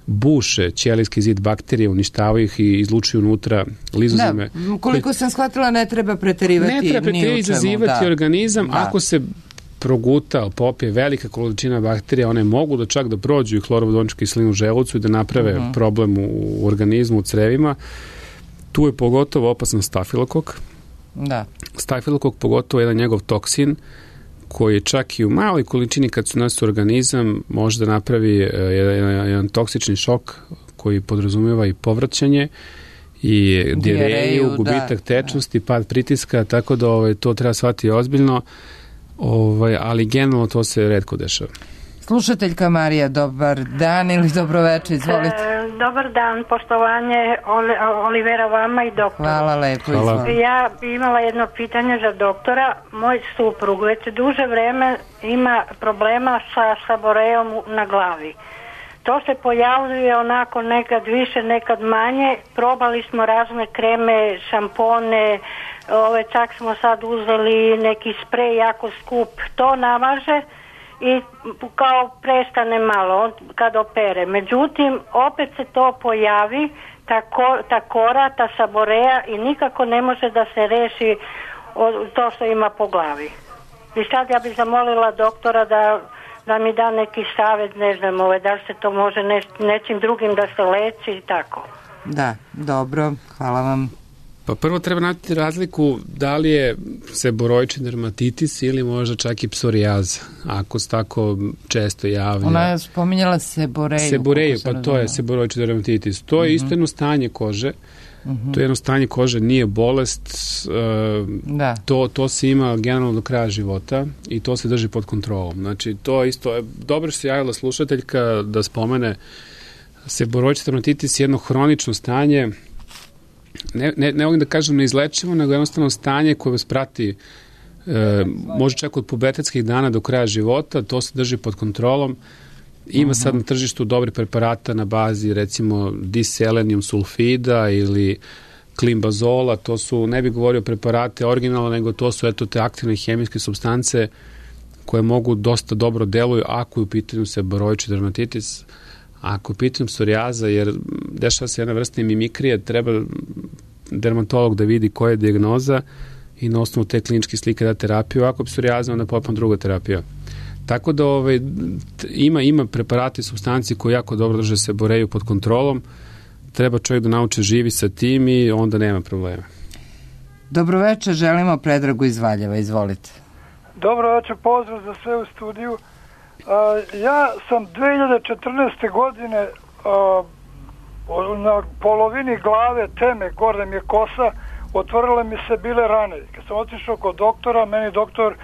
S3: buše ćelijski zid bakterije, uništavaju ih i izlučuju unutra lizozime.
S2: Da, koliko sam shvatila, ne treba preterivati.
S3: Ne treba preterivati, izazivati organizam.
S2: Da.
S3: Ako se proguta, popije velika količina bakterija, one mogu da čak da prođu i hlorovodoničku kiselinu u želucu i da naprave problem u organizmu, u crevima. Tu je pogotovo opasan stafilokok.
S2: Da.
S3: Stafilokok pogotovo je jedan njegov toksin koji čak i u maloj količini kad se unese u organizam može da napravi jedan toksični šok koji podrazumijeva i povraćanje i dijareju, gubitak tečnosti, pad pritiska, tako da to treba shvatiti ozbiljno. Ali generalno to se retko dešava.
S2: Slušateljka Marija, dobar dan ili dobroveče, izvolite.
S10: Dobar dan, poštovanje Olivera vama i doktora.
S2: Hvala lepo, izvolite.
S10: Ja bi imala jedno pitanje za doktora. Moj suprug već duže vreme ima problema sa saborejom na glavi. To se pojavljuje onako nekad više, nekad manje. Probali smo razne kreme, šampone, čak smo sad uzeli neki sprej jako skup, to namaže i kao prestane malo kad opere. Međutim, opet se to pojavi, ta kora, ta saboreja i nikako ne može da se reši to što ima po glavi. I sad ja bih zamolila doktora da mi da neki savjet, ne znam, da se to može nečim drugim da se leči i tako.
S2: Da, dobro, hvala vam.
S3: Pa prvo treba naći razliku da li je seboroični dermatitis ili možda čak i psorijaza, ako se tako često javlja.
S2: Ona je spominjala seboreju.
S3: Seboreju, pa to je seboroični dermatitis. To je isto jedno stanje kože. To je jedno stanje kože, nije bolest. To se ima generalno do kraja života i to se drži pod kontrolom. Znači, to isto, dobro što se javila slušateljka da spomene, seboroični dermatitis je jedno hronično stanje. Ne mogu da kažem neizlečivo, nego jednostavno stanje koje vas prati može čak od pubertetskih dana do kraja života, to se drži pod kontrolom. Ima sad na tržištu dobri preparata na bazi recimo diselenium sulfida ili klimbazola, to su, ne bih govorio preparate originalno, nego to su te aktivne hemijske supstance koje mogu dosta dobro deluju ako je u pitanju seboroični dermatitis. Ako pitam psorijaza, jer dešava se jedna vrsta mimikrije, treba dermatolog da vidi koja je dijagnoza i na osnovu te kliničke slike da terapiju. Ako psorijaza, onda potpuno druga terapija. Tako da ima preparati i supstanci koji jako dobro drže seboreju pod kontrolom. Treba čovjek da nauči živi sa tim i onda nema problema.
S2: Dobroveče, želimo Predragu iz Valjeva, izvolite.
S11: Dobroveče, pozdrav za sve u studiju. Ja sam 2014. godine na polovini glave teme, gore mi je kosa, otvorile mi se bile rane. Kad sam otišao kod doktora, meni doktor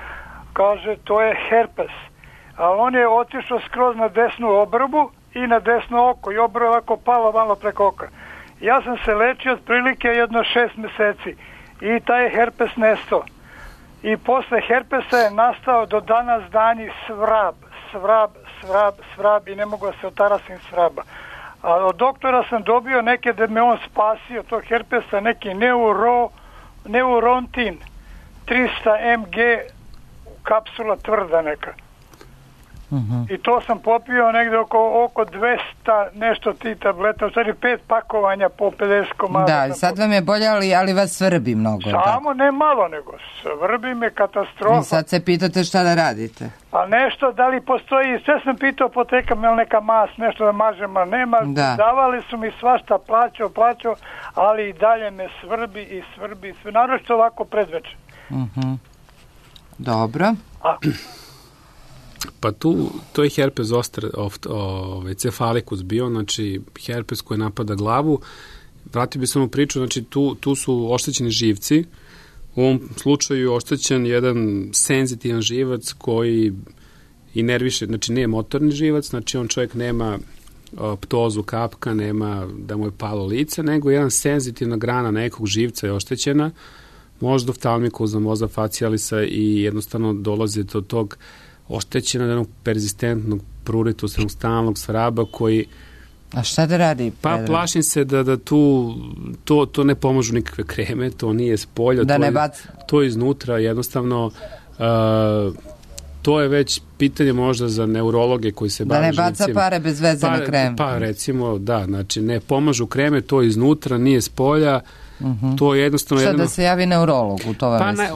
S11: kaže to je herpes. A on je otišao skroz na desnu obrvu i na desno oko i obrva ovako pala malo preko oka. Ja sam se lečio otprilike jedno 6 meseci i taj herpes nestao. I posle herpesa je nastao do danas danji svrab i ne mogu da se otarasim svraba. A od doktora sam dobio neke da me on spasio tog herpesa, neki neurontin 300 mg kapsula tvrda neka. I to sam popio negde oko 200 nešto ti tableta, u stvari 5 pakovanja po 50 komada.
S2: Da, sad vam je bolje, ali vas svrbi mnogo.
S11: Samo ne malo, nego svrbi me katastrofa.
S2: I sad se pitate šta da radite.
S11: A nešto, da li postoji, sve sam pitao apoteka, me neka mas, nešto da mažem, a nema, davali su mi svašta, plaćao, ali i dalje me svrbi, sve naročito ovako predveče.
S2: Dobro.
S3: Pa to je herpes zoster cefalikus bio, znači herpes koji napada glavu. Vratio bi se onu priču, znači tu su oštećeni živci. U ovom slučaju je oštećen jedan senzitivan živac koji i nerviše, znači nije motorni živac, znači on čovjek nema ptozu kapka, nema da mu je palo lice, nego jedan senzitivna grana nekog živca je oštećena, možda oftalmikusa, možda facialisa i jednostavno dolazi do tog oštećenog jednog perzistentnog pruritusa, jednog stalnog svraba koji...
S2: A šta da radi?
S3: Pa plašim se da to ne pomažu nikakve kreme, to nije s polja, to je iznutra, jednostavno to je već pitanje možda za neurologe koji se bave živcima.
S2: Da ne baca pare bez veze na krem.
S3: Pa recimo, da, znači ne pomažu kreme, to je iznutra, nije s polja, to je jednostavno...
S2: Šta da se javi neurologu?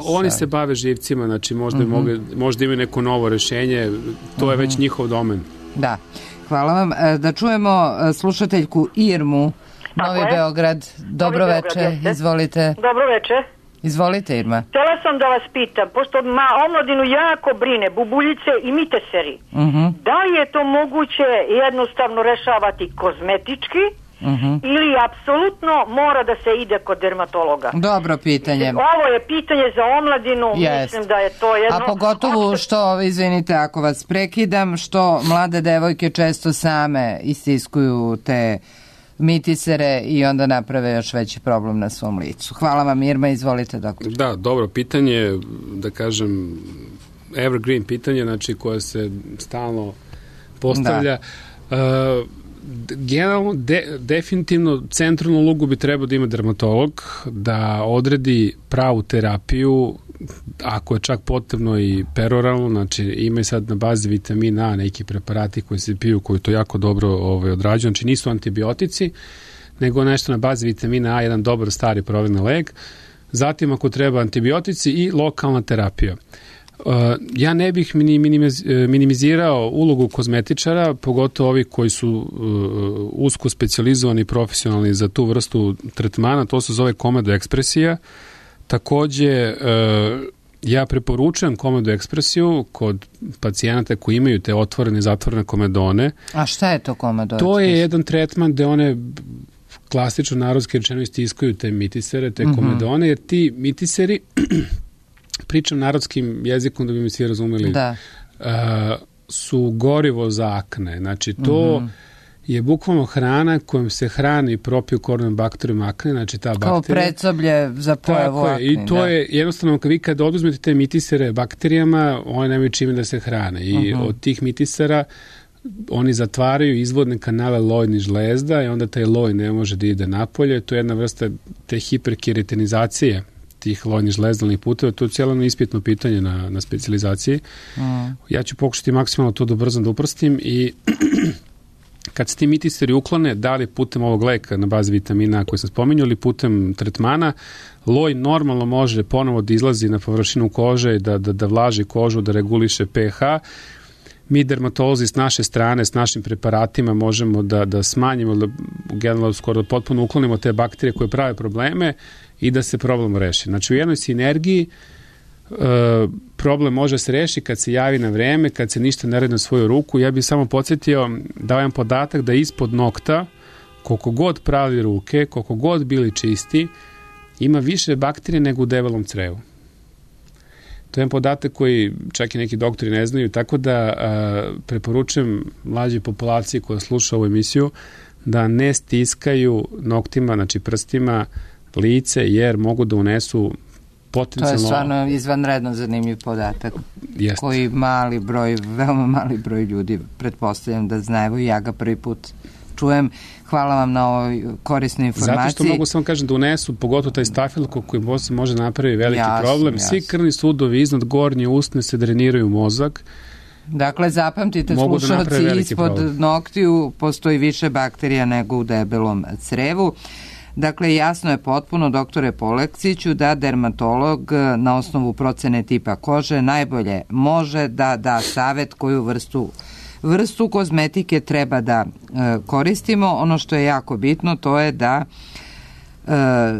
S3: Oni se bave živcima, znači možda imaju neko novo rešenje, to je već njihov domen.
S2: Da, hvala vam. Da čujemo slušateljku Irmu, Novi Beograd. Dobro veče, izvolite.
S12: Dobro veče.
S2: Izvolite, Irma.
S12: Htjela sam da vas pitam, pošto omladinu jako brine, bubuljice i miteseri, da li je to moguće jednostavno rešavati kozmetički ili apsolutno mora da se ide kod dermatologa?
S2: Dobro pitanje.
S12: Ovo je pitanje za omladinu, mislim da je to jedno...
S2: A pogotovo što, izvinite ako vas prekidam, što mlade devojke često same istiskuju te mitisere i onda naprave još veći problem na svom licu. Hvala vam, Irma, izvolite, doktor.
S3: Da, dobro pitanje, da kažem, evergreen pitanje, znači koje se stalno postavlja. Generalno, definitivno centralnu ulogu bi trebao da ima dermatolog, da odredi pravu terapiju, ako je čak potrebno i peroralno, znači ima i sad na bazi vitamina A neki preparati koji se piju, koji to jako dobro odrađuju, znači nisu antibiotici, nego nešto na bazi vitamina A, jedan dobar stari provereni lek. Zatim ako treba antibiotici i lokalna terapija. Ja ne bih minimizirao ulogu kozmetičara, pogotovo ovi koji su usko specijalizovani i profesionalni za tu vrstu tretmana, to se zove komedoekspresija. Takođe, ja preporučujem komedoekspresiju kod pacijenata koji imaju te otvorene i zatvorene komedone.
S2: A šta je to komedoekspresija?
S3: To je jedan tretman gde one klasično narodski rečeno istiskuju te mitisere, te komedone, jer ti mitiseri pričam narodskim jezikom da bi mi svi razumeli, su gorivo za akne. Znači, to je bukvalno hrana kojom se hrani propiokornom bakterijom akne, znači ta bakterija.
S2: Kao predsoblje za pojavu akne.
S3: I to je jednostavno, vi kada oduzmete te mitisere bakterijama, one nemaju čime da se hrane. I od tih mitisera oni zatvaraju izvodne kanale lojnih žlezda i onda taj loj ne može da ide napolje. To je jedna vrsta te hiperkeratinizacije tih lojnih žlezdalnih puteva, to je cijelo ispitno pitanje na specijalizaciji. Ja ću pokušati maksimalno to da ubrzam, da uprstim i kad se ti mitiseri uklone, da li putem ovog leka na bazi vitamina koji sam spominjao ili putem tretmana, loj normalno može ponovo da izlazi na površinu kože i da vlaži kožu, da reguliše pH. Mi dermatolozi s naše strane, s našim preparatima možemo da smanjimo, da generalno skoro potpuno uklonimo te bakterije koje prave probleme i da se problem reši. Znači u jednoj sinergiji problem može se reši kad se javi na vreme, kad se ništa ne radi na svoju ruku. Ja bih samo podsjetio, dajem podatak da ispod nokta, koliko god prali ruke, koliko god bili čisti, ima više bakterije nego u debelom crevu. To je jedan podatak koji čak i neki doktori ne znaju, tako da preporučujem mlađoj populaciji koja sluša ovu emisiju da ne stiskaju noktima, znači prstima, lice, jer mogu da unesu potencijalno...
S2: To je stvarno izvanredno zanimljiv podatak.
S3: Jest.
S2: Koji veoma mali broj ljudi pretpostavljam da zna. Evo i ja ga prvi put čujem. Hvala vam na ovoj korisnoj informaciji.
S3: Zato što mogu samo kažem da unesu, pogotovo taj stafilokok koji može napraviti veliki problem. Svi krvni sudovi iznad gornje usne se dreniraju u mozak
S2: Dakle, zapamtite slušalci, ispod noktiju postoji više bakterija nego u debelom crevu. Dakle, jasno je potpuno, doktore Poleksiću, da dermatolog na osnovu procene tipa kože najbolje može da da savet koju vrstu kozmetike treba da koristimo. Ono što je jako bitno, to je da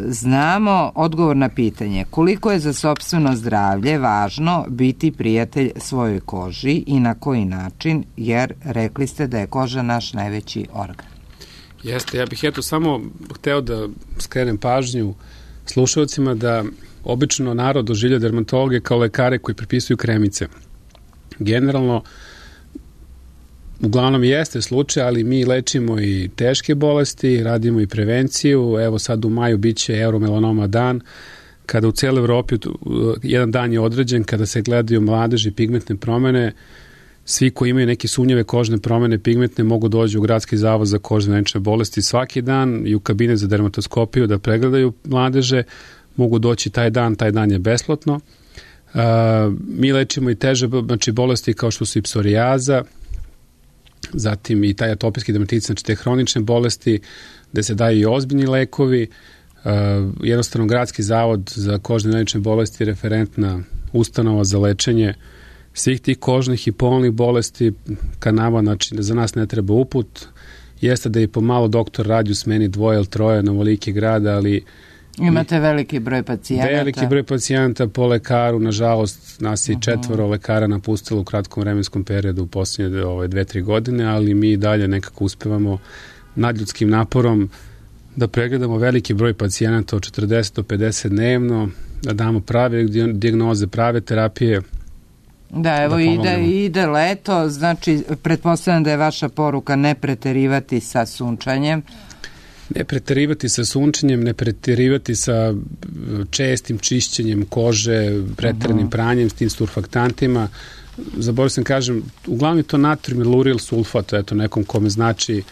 S2: znamo odgovor na pitanje koliko je za sopstveno zdravlje važno biti prijatelj svojoj koži i na koji način, jer rekli ste da je koža naš najveći organ.
S3: Jeste, ja bih samo hteo da skrenem pažnju slušalcima da obično narod doživlja dermatologe kao lekare koji prepisuju kremice. Generalno, uglavnom jeste slučaj, ali mi lečimo i teške bolesti, radimo i prevenciju. Evo sad u maju biće Euromelanoma dan, kada u cijeloj Evropi jedan dan je određen, kada se gledaju mladeži pigmentne promene. Svi koji imaju neke sumnjive kožne promene pigmentne mogu doći u Gradski zavod za kožne venčne bolesti svaki dan i u kabinet za dermatoskopiju da pregledaju mladeže. Mogu doći taj dan je besplatno. Mi lečimo i teže bolesti kao što su i psorijaza, zatim i taj atopijski dermatitis, znači te hronične bolesti, gde se daju i ozbiljni lekovi. Jednostavno, Gradski zavod za kožne venčne bolesti je referentna ustanova za lečenje svih tih kožnih i polnih bolesti ka nama, znači za nas ne treba uput. Jeste da i pomalo doktor radi u smeni 2 ili 3 na ovoliki grada, ali
S2: imate veliki broj pacijenata.
S3: Veliki broj pacijenata po lekaru, nažalost nas je 4 lekara napustilo u kratkom vremenskom periodu u posljednje 2-3 godine, ali mi dalje nekako uspevamo nadljudskim naporom da pregledamo veliki broj pacijenata od 40 do 50 dnevno, da damo prave dijagnoze, prave terapije.
S2: Da, evo ide leto, znači pretpostavljam da je vaša poruka ne preterivati sa sunčanjem.
S3: Ne preterivati sa sunčanjem, ne preterivati sa čestim čišćenjem kože, preteranim pranjem s tim surfaktantima. Zaboravio sam kažem, uglavnom je to natrium iluril sulfat, eto nekom kome znači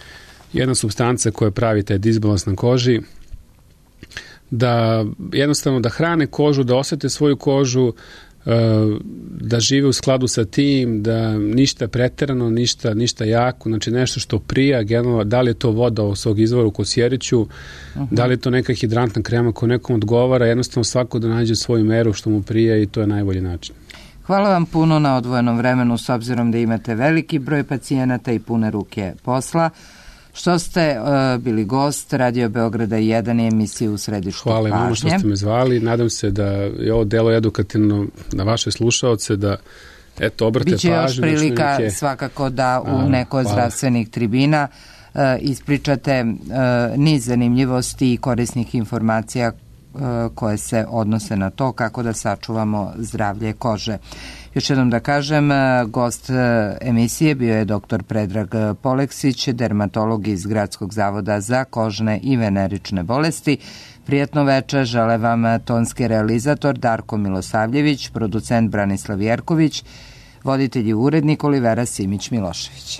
S3: jedna supstanca koja pravi taj disbalans na koži, da jednostavno da hrane kožu, da osete svoju kožu, da žive u skladu sa tim, da ništa preterano, ništa jako, znači nešto što prija, generalno, da li je to voda od svog izvora u Kosjeriću, da li je to neka hidrantna krema koja nekom odgovara, jednostavno svako da nađe svoju meru što mu prija i to je najbolji način.
S2: Hvala vam puno na odvojenom vremenu, s obzirom da imate veliki broj pacijenata i pune ruke posla. Što ste bili gost Radio Beograda 1 i emisije U središtu pažnje.
S3: Hvala vam što ste me zvali. Nadam se da je ovo delo edukativno na vaše slušaoce, da obrate pažnju.
S2: Biće još prilika svakako da u nekoj zdravstvenih tribina ispričate niz zanimljivosti i korisnih informacija koje se odnose na to kako da sačuvamo zdravlje kože. Još jednom da kažem, gost emisije bio je dr. Predrag Poleksić, dermatolog iz Gradskog zavoda za kožne i venerične bolesti. Prijatno večer žele vam tonski realizator Darko Milosavljević, producent Branislav Jerković, voditelj i urednik Olivera Simić-Milošević.